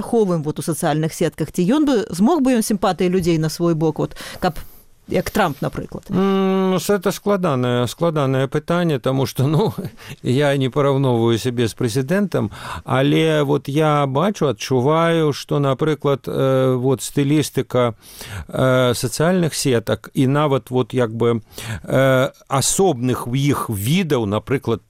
паспяховым вот у сацыяльных сетках, ці змог бы ён сімпатыі людзей на свой бок, вот, каб як Трамп, напрыклад? Это складанае пытанне, таму што, я не параўноўваю сябе з прэзідэнтам, але вот я бачу, адчуваю, што, напрыклад, вот стылістыка сацыяльных сетак і нават вот як бы асобных у іх відаў, напрыклад,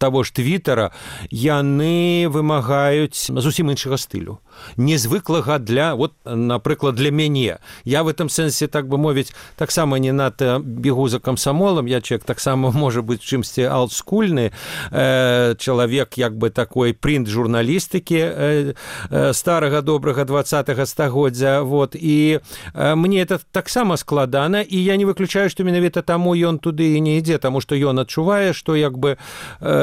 таго ж Твіттера, яны вымагаюць зусім іншага стылю. Незвыклага для, вот, напрыклад, для мяне. Я в этом сэнсе, так бы мовіць, таксама не надта бегу за камсамолам, я чалавек таксама, можа быць, чымсьці олдскульны, чалавек, як бы, такой прынт-журналістыкі старага, добрага 20-го стагоддзя, вот, і мне это таксама складана, і я не выключаю, што менавіта таму ён туды і не ідзе, таму што ён адчувае, што, як бы,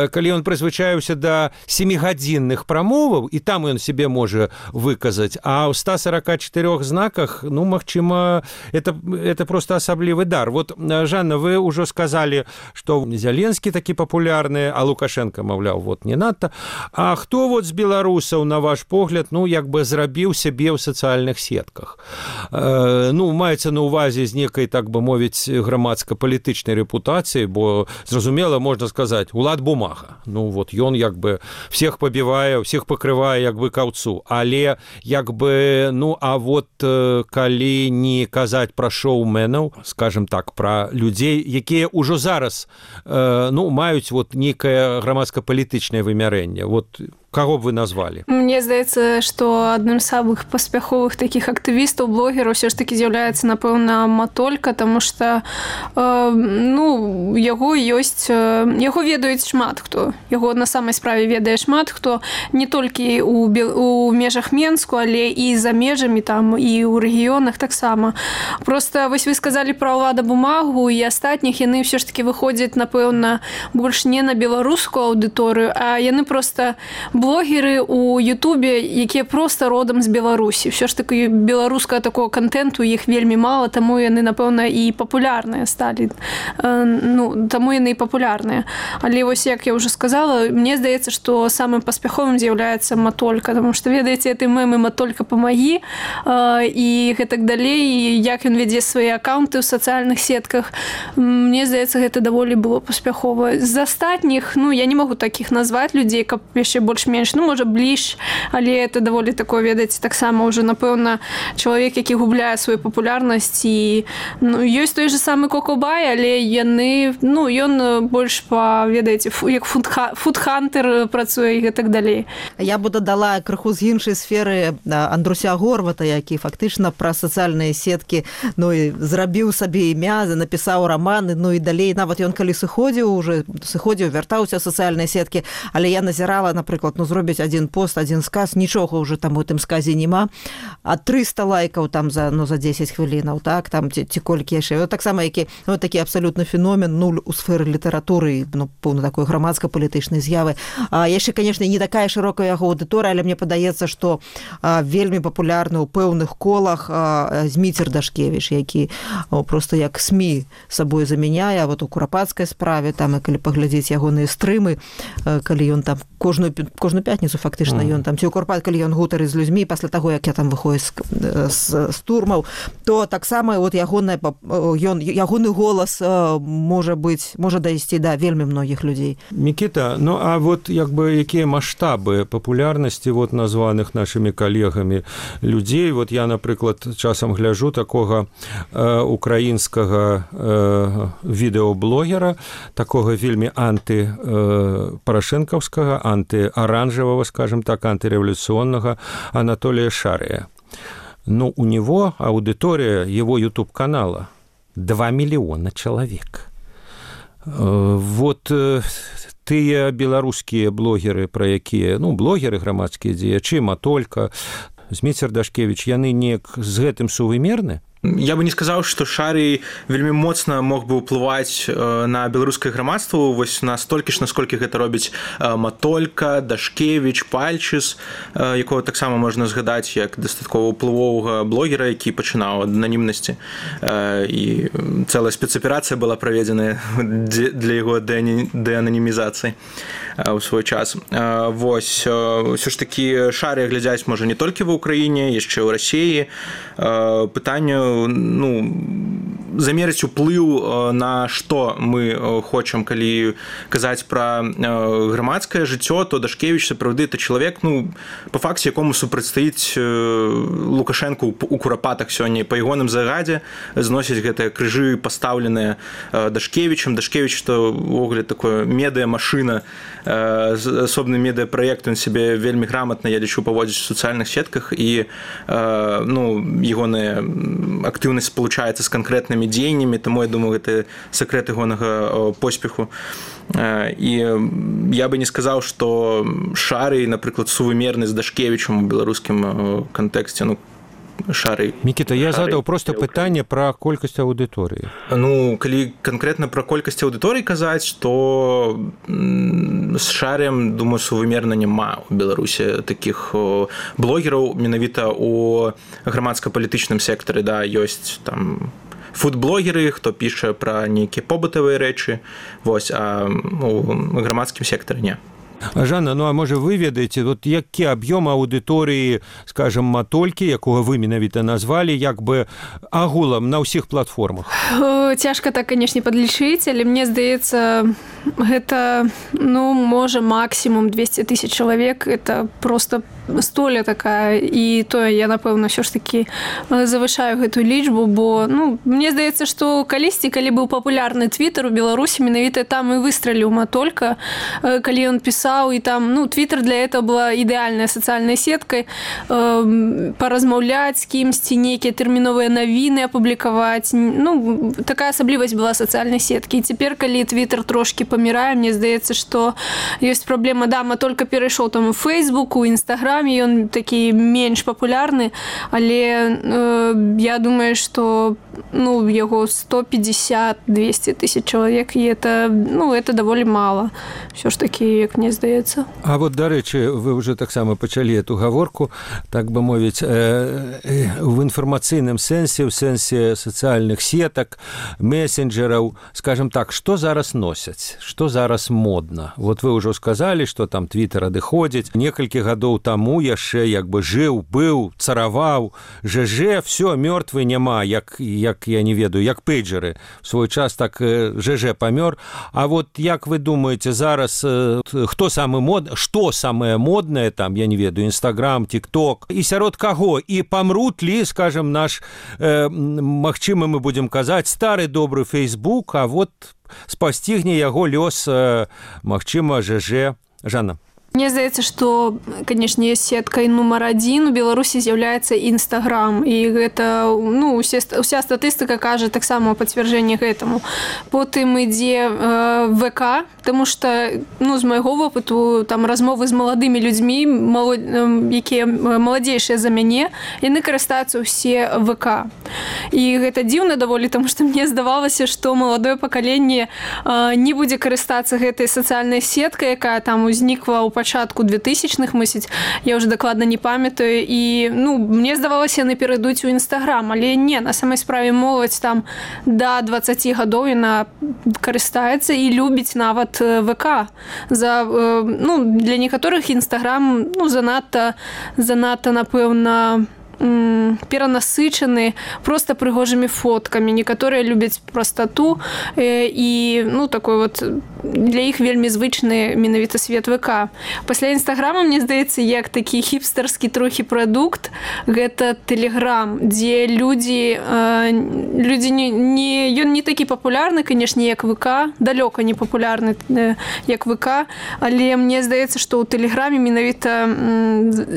калі ён прызвычаіўся да 7-гадзінных прамоваў, і там ён себе можа выказаць, а ў 144 знаках, магчыма, это просто асаблівы дар. Вот, Жанна, вы ўжо сказалі, што Зеленскі такі папулярны, а Лукашенко, маўляў, вот не надта. А хто вот з беларусаў, на ваш погляд, як бы зрабіў сябе ў сацыяльных сетках? Маецца на ўвазе з некай, так бы мовіць, грамадска-палітычнай рэпутацыі, бо, зразумела, можна сказаць, Улад Бумага. Вот ён, як бы, всех пабівае, всех пакрывае, як бы, каўцу. Але, як бы, а вот калі не казаць пра шоуменаў, скажем так, пра людзей, якія ўжо зараз, маюць вот некае грамадска-палітычнае вымярэнне. Вот кого б вы назвалі? Мне здаецца, што адным з самых паспяховых такіх актывістаў, блогераў ўсё ж такі з'яўляецца, напэўна, Матолька, таму што яго ведаюць шмат хто. Яго на самай справе ведае шмат хто, не толькі у межах Менску, але і за межамі там, і ў рэгіёнах таксама. Просто вось вы сказалі пра Улада Бумагу і астатніх, яны ўсё ж такі выходзяць, напэўна, больш не на беларускую аўдыторыю, а яны проста блогеры у Ютубе, якія проста родам з Беларусі. Ўсё ж такі беларускага такого контенту іх вельмі мала, таму яны, напэўна, і папулярныя сталі. Таму яны і папулярныя. Але вось, як я ўжо сказала, мне здаецца, што самым паспяховым з'яўляецца Матолька, таму што, ведаеце, этой мемы «Матолька, помоги» і гэтак далей, і як ён вядзе свае аккаунты ў сацыяльных сетках. Мне здаецца, гэта даволі было паспяхова. З астатніх, я не магу такіх назваць людзей, каб яшчэ больш-менш, можа, бліж, але это даволі такое, ведаеце, таксама ўжо, напэўна, чалавек, які губляе сваю папулярнасць, і ёсць той же самы Кокобай, але ён больш ведаеце, як фудхантер працуе і гэтак далей. Я бы дадала крыху з іншай сферы Андруся Горвата, які фактычна пра сацыяльныя сеткі зрабіў сабе імя, напісаў раманы, і далей, нават ён калі сыходзіў, вяртаўся ў сацыяльныя сеткі, але я назірала, напрыклад, зробіць адзін пост, адзін сказ, нічога ўжо там у тым сказе няма, а 300 лайкаў там за 10 хвілінаў, так, там ці колькі яшчэ. Таксама такі абсалютны феномен, нуль у сферы літаратуры, поўна такой грамадска-палітычнай з'явы. Яшчэ, канешне, не такая шырокая яго аўдыторыя, але мне падаецца, што вельмі папулярны ў пэўных колах Зміцер Дашкевіч, які проста як СМІ сабой замяняе, вот у курапацкай справе, там, і калі паглядзець ягоныя стрымы, калі ён там кожную пятніцу фактычна ён там, ці ў Курпат, калі ён гутарыць з людзьмі, пасля таго, як я там выходзіць з турмаў, то таксама ягоны голас можа дайсці да вельмі многіх людзей. Мікіта, а вот як бы якія маштабы папулярнасці вот названых нашымі калегамі людзей? Вот я, напрыклад, часам гляджу такога украінскага відэаблогера, такога вельмі антипарашэнкаўскага, антиоранжевого, скажем так, антиреволюционного Анатолия Шария. У него аудитория его YouTube-канала 2 миллиона человек. Вот тыя беларускія блогеры, пра якія, блогеры грамадскія дзеячы, Матолька, Зміцер Дашкевіч, яны неяк з гэтым сувымерны? Я бы не сказаў, што Шарый вельмі моцна мог бы ўплываць на беларускае грамадства вось настолькі ж, насколькі гэта робіць Матолька, Дашкевіч, Пальчыс, якого таксама можна згадаць як дастаткова ўплывовага блогера, які пачынаў ад ананімнасці. І цэлая спецаперацыя была праведзеная для яго дэананімізацыі ў свой час. Вось, ўсё ж такі Шарыя глядзяць можа не толькі ва ўкраіне, яшчэ ў Расіі. Пытанне замерыць уплыў на што мы хочам, калі казаць пра грамадскае жыццё, то Дашкевіч сапраўды это чалавек, па факце якому супрацьстаіць Лукашэнку у курапатах сёння. Па ягоным загадзе зносяць гэтыя крыжы пастаўленыя Дашкевічам. Дашкевіч то ўвогуле такое медыа-машына, асобны медыа-праект, ён сябе вельмі грамотна, я лічу, паводзіць у сацыяльных сетках, і ягоная актыўнасць спалучаецца з канкрэтнымі дзеяннямі, таму я думаю, гэта сакрэт ягонага поспеху. І я бы не сказаў, што Шарый, напрыклад, сувымерны з Дашкевічам у беларускім кантэксце. Шарый. Мікіта, я задаў проста пытанне пра колькасць аўдыторыі. Калі канкрэтна пра колькасць аўдыторыі казаць, то з Шарыем, думаю, сувымерна няма ў Беларусі такіх блогераў менавіта ў грамадска-палітычным сектары. Да, ёсць там фуд-блогеры, хто піша пра нейкія побытавыя рэчы, вось, а ў грамадскім сектары не. Жанна, а можа вы ведаеце, які аб'ём аўдыторыі, скажем, Матолькі, якога вы менавіта назвалі, як бы агулам на ўсіх платформах? Цяжка так, канешне, падлічыць, але мне здаецца, гэта, можа, максімум 200 000 чалавек, это просто столя такая, і тое я, напэўна, ўсё ж такі завышаю гэтую лічбу, бо, мне здаецца, што калісьці, калі быў папулярны твітер у Беларусі, менавіта там і выстраліў Матолька, калі ён пісаў, і там, твітер для этого была ідэальная сацыяльнай сеткай, паразмаўляць з кімсьці, нейкія тэрміновыя навіны апублікаваць, такая асаблівасць была сацыяльнай сеткі. І цяпер, калі твітер трошкі памірае, мне здаецца, што ёсць праблема, Матолька перайшоў там у Фейсбук, у Інстаграме, ён такі менш папулярны, але я думаю, што яго 150-200 000 чалавек, і это даволі мала. Ўсё ж такі, як мне здаецца. А вот, дарэчы, вы ўжо таксама пачалі эту гаворку, так бы мовіць, в інфармацыйным сэнсе, у сэнсе сацыяльных сетак, месенджераў, скажем так, што зараз носяць, што зараз модна? Вот вы ўжо сказалі, што там твітер адыходзіць. Некалькі гадоў таму яшчэ як бы жыў, быў, цараваў, ЖЖ, все, мёртвы няма, як я не ведаю, як пейджеры. В свой час так ЖЖ памёр. А вот як вы думаеце, зараз хто самы модны, што самае моднае там, я не ведаю, Інстаграм, Тік-Ток, і сярод каго? І памрут ли, скажем, наш, магчыма, мы будзем казаць, стары добры Фейсбук, а вот спасцігне яго лёс, магчыма, ЖЖ. Жанна. Мне здаецца, што, канешне, сеткай нумар 1 у Беларусі з'яўляецца Інстаграм, і гэта, уся статыстыка кажа таксама пацвярджэнне гэтаму. Потым ідзе ВК, таму што, з майго вопыту, там размовы з маладымі людзьмі, якія маладзейшыя за мяне, яны карыстаюцца ўсе ВК. І гэта дзіўна даволі, таму што мне здавалася, што маладое пакаленне не будзе карыстацца гэтай сацыяльнай сеткай, якая там узнікла ў пачатку 2000-х, мысліць, я ўжо дакладна не памятаю, і, мне здавалася, яны перайдуць у Інстаграм, але не, на самай справе моладзь там да 20 гадоў яна карыстаецца і любіць нават ВК. Для некаторых Інстаграм, занадта, напэўна, перанасычаны проста прыгожымі фоткамі. Некаторыя любяць прастату, і, такой вот, для іх вельмі звычны менавіта свет ВК. Пасля Інстаграма, мне здаецца, як такі хіпстарскі трохі прадукт, гэта Тэлеграм, дзе людзі ён не такі папулярны, канешне, як ВК, далёка не папулярны, як ВК, але мне здаецца, што ў Тэлеграме менавіта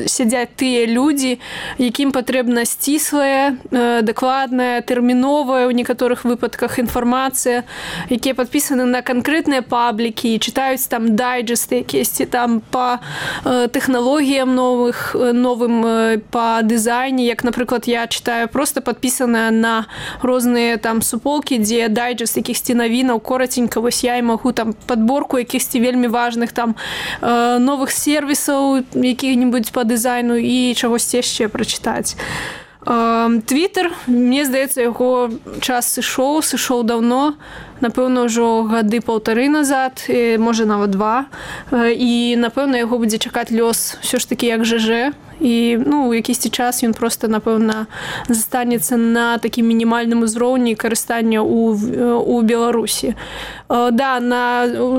сядзяць тыя людзі, якім патрэбна сціслая, дакладная, тэрміновая ў некаторых выпадках інфармацыя, якія падпісаны на канкрэтныя паблікі і чытаюць там дайджесты якіесьці там па тэхналогіям новым па дызайне, як, напрыклад, я чытаю проста падпісаная на розныя там суполкі, дзе дайджест якіхсьці навінаў кораценька, вось я і магу там падборку якіхсьці вельмі важных там новых сервісаў якіх-небудзь па дызайну і чагосьці яшчэ прачытаць. Твиттер, мне здаецца, яго час сышоў даўно, напэўна, ўжо гады 1,5 назад, можа нават 2, і, напэўна, яго будзе чакаць лёс ўсё ж такі як ЖЖ, і у якісьці час ён проста, напэўна, застанецца на такім мінімальным узроўні карыстання ў Беларусі. Да,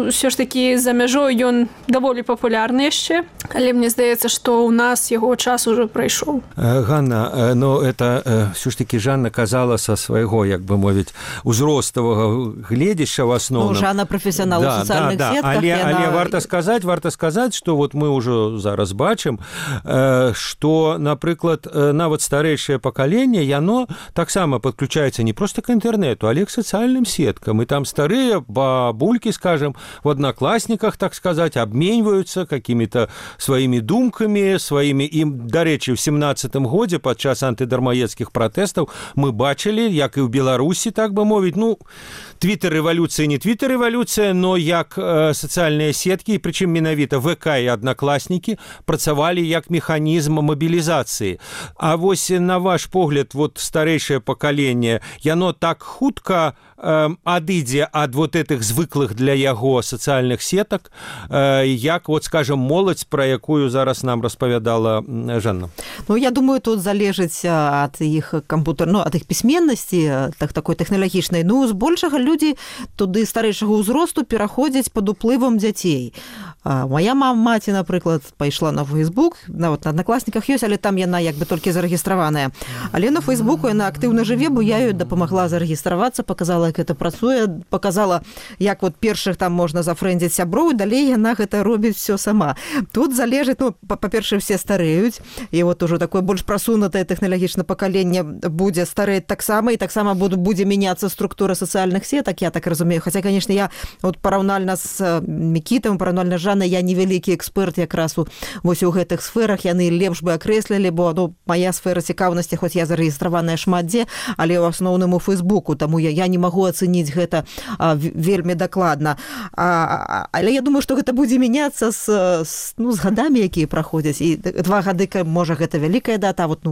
ўсё ж такі за мяжой ён даволі папулярны яшчэ, але мне здаецца, што ў нас яго час ужо прайшоў. Ганна, это все ж таки Жанна казала со свайго, як бы мовіць, узроставага гледзяща в основном. Жанна професіонал у социальных сетках. Але варта сказаць, што вот мы ўжо зараз бачым, што, напрыклад, нават старэйшае пакаленне, яно таксама падключаецца не проста к інтэрнету, але к сацыяльным сеткам. І там старыя бабулькі, скажем, в одноклассниках, так сказать, обменьваюцца какими-то сваімі думкамі, сваімі. І, дарэчы, в 17-м годзе падчас антыдармаедскіх пратэстаў мы бачылі, як і ў Беларусі, так бы мовіць, твиттер-рэвалюцыя, не твиттер-рэвалюцыя, но як сацыяльныя сеткі, прычым менавіта ВК і аднакласнікі працавалі як механізм мабілізацыі. А вось на ваш погляд, вот старэйшае пакаленне, яно так хутка адыдзе ад вот этих звыклых для яго сацыяльных сетак, як, вот, скажем, моладзь, пра якую зараз нам распавядала Жанна? Я думаю, тут залежыць ад іх ад іх пісьменнасці, такой тэхналагічнай. Збольшага людзі туды старэйшага ўзросту пераходзяць пад уплывам дзяцей. Моя маці, напрыклад, пайшла на Facebook, нават на аднакласніках ёсць, але там яна як бы толькі зарэгістраваная. Але на Фейсбуку яна актыўна жыве, бо я ёй дапамагла зарэгістравацца, показала, як гэта працуе, показала, як вот першых там можна зафрэндзіць сяброў, і далей яна гэта робіць все сама. Тут залежыць, па-першае, все стареюць, і вот ужо такое больш прасунутае тэхналагічнае пакаленне будзе старэць таксама, і таксама будзе мяняцца структура сацыяльных сетак, я так разумею. Хаця, конечно, я вот параўнальна з Мікітам, параўнальна з Жаннай, я невялікі эксперт якраз вось у гэтых сферах, яны лепш бы акрэслілі, бо моя сфера цікаўнасці, хоць я зарэгістраваная шмат дзе, але ў асноўным у Фейсбуку, таму я не магу ацэніць гэта вельмі дакладна. Але я думаю, што гэта будзе мяняцца з гадамі, якія праходзяць. І 2 гады, можа, гэта вялікая дата, а вот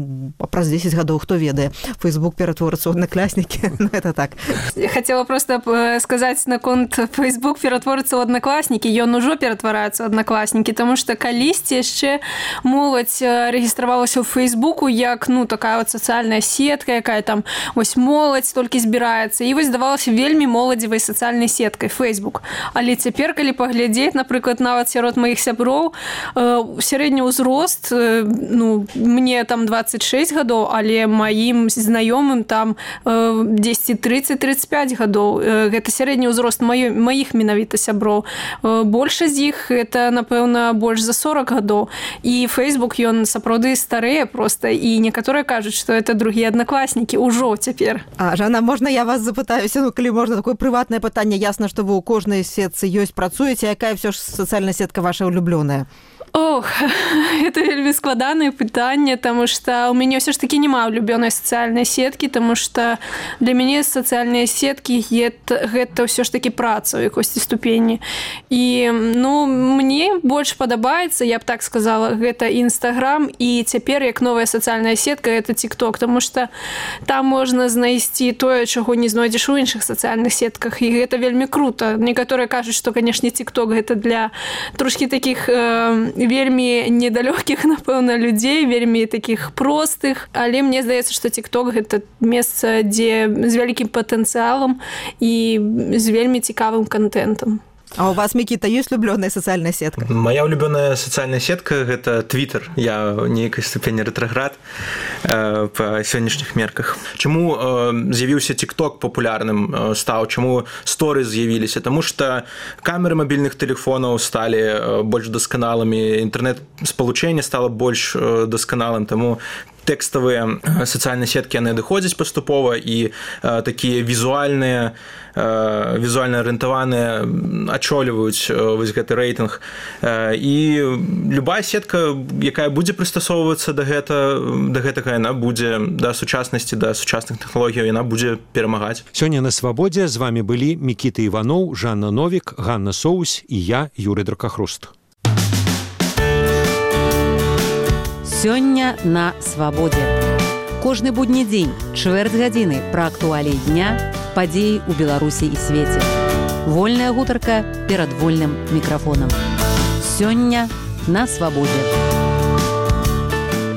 праз 10 гадоў, хто ведае, Фейсбук ператворыцца ў аднакласнікі. Это так. Я хотела просто сказаць наконт Фейсбук ператворыцца ў аднакласнікі. Ён ужо ператвараецца ў аднакласнікі, таму што калісьці яшчэ моладзь рэгістравалася ў Фейсбуку як, такая вот сацыяльная сетка, якая там вось моладзь толькі збіраецца. І вось здавалася вельмі моладзевай сацыяльнай сеткай Facebook. Але цяпер, калі паглядзець, напрыклад, нават сярод маіх сяброў, сярэдні ўзрост, мне там 26 гадоў, але маім знаёмым там 10-30-35 гадоў. Гэта сярэдні ўзрост маіх менавіта сяброў. Большасць з іх это, напэўна, больш за 40 гадоў. І Facebook, ён сапраўды старэе проста, і некаторыя кажуць, што это другія аднакласнікі ўжо цяпер. Жанна, можна я вас запытаюся, калі можна, такое прыватнае пытанне. Ясна, што вы ў кожнай сетцы працуеце, якая ўсё ж сацыяльная сетка ваша улюблёная? Ох, это вельмі складанае пытанне, таму што ў мяне ўсё ж такі няма улюбёнай сацыяльнай сеткі, таму што для мяне сацыяльныя сеткі гэта ўсё ж такі праца ў якосці ступені. І мне больш падабаецца, я б так сказала, гэта Instagram, і цяпер як новая сацыяльная сетка гэта TikTok, таму што там можна знайсці тое, чаго не знойдзеш у іншых сацыяльных сетках, і гэта вельмі крута. Некаторыя кажуць, што, канешне, TikTok гэта для трошкі такіх вельмі недалёгкіх, напэўна, людзей, вельмі такіх простых, але мне здаецца, што TikTok гэта месца, дзе з вялікім патэнцыялам і з вельмі цікавым контентам. А у вас, Мікіта, ёсць улюбёная сацыяльная сетка? Моя улюбёная сацыяльная сетка – гэта Twitter. Я ў нейкай ступені рэтраград па сённяшніх мерках. Чаму з'явіўся TikTok папулярным стаў? Чаму сторы з'явіліся? Таму што камеры мабільных тэлефонаў сталі больш дасканалымі, інтэрнэт-спалучэнне стала больш дасканалым, таму тэкставыя сацыяльныя сеткі яны адыходзяць паступова, і такія візуальна арыентаваныя ачоліваюць вось гэты рэйтынг. І любая сетка, якая будзе прыстасоўвацца да гэтага, яна будзе да сучаснасці, да сучасных тэхналогій, яна будзе перамагаць. Сёння на Свабодзе з вами былі Мікіта Іваноў, Жанна Новік, Ганна Соусь і я, Юрый Дракахруст. Сёння на Свабодзе. Кожны будні дзень, чвэрць гадзіны пра актуаліі дня, падзеі ў Беларусі і свеце. Вольная гутарка перад вольным мікрафонам. Сёння на Свабодзе.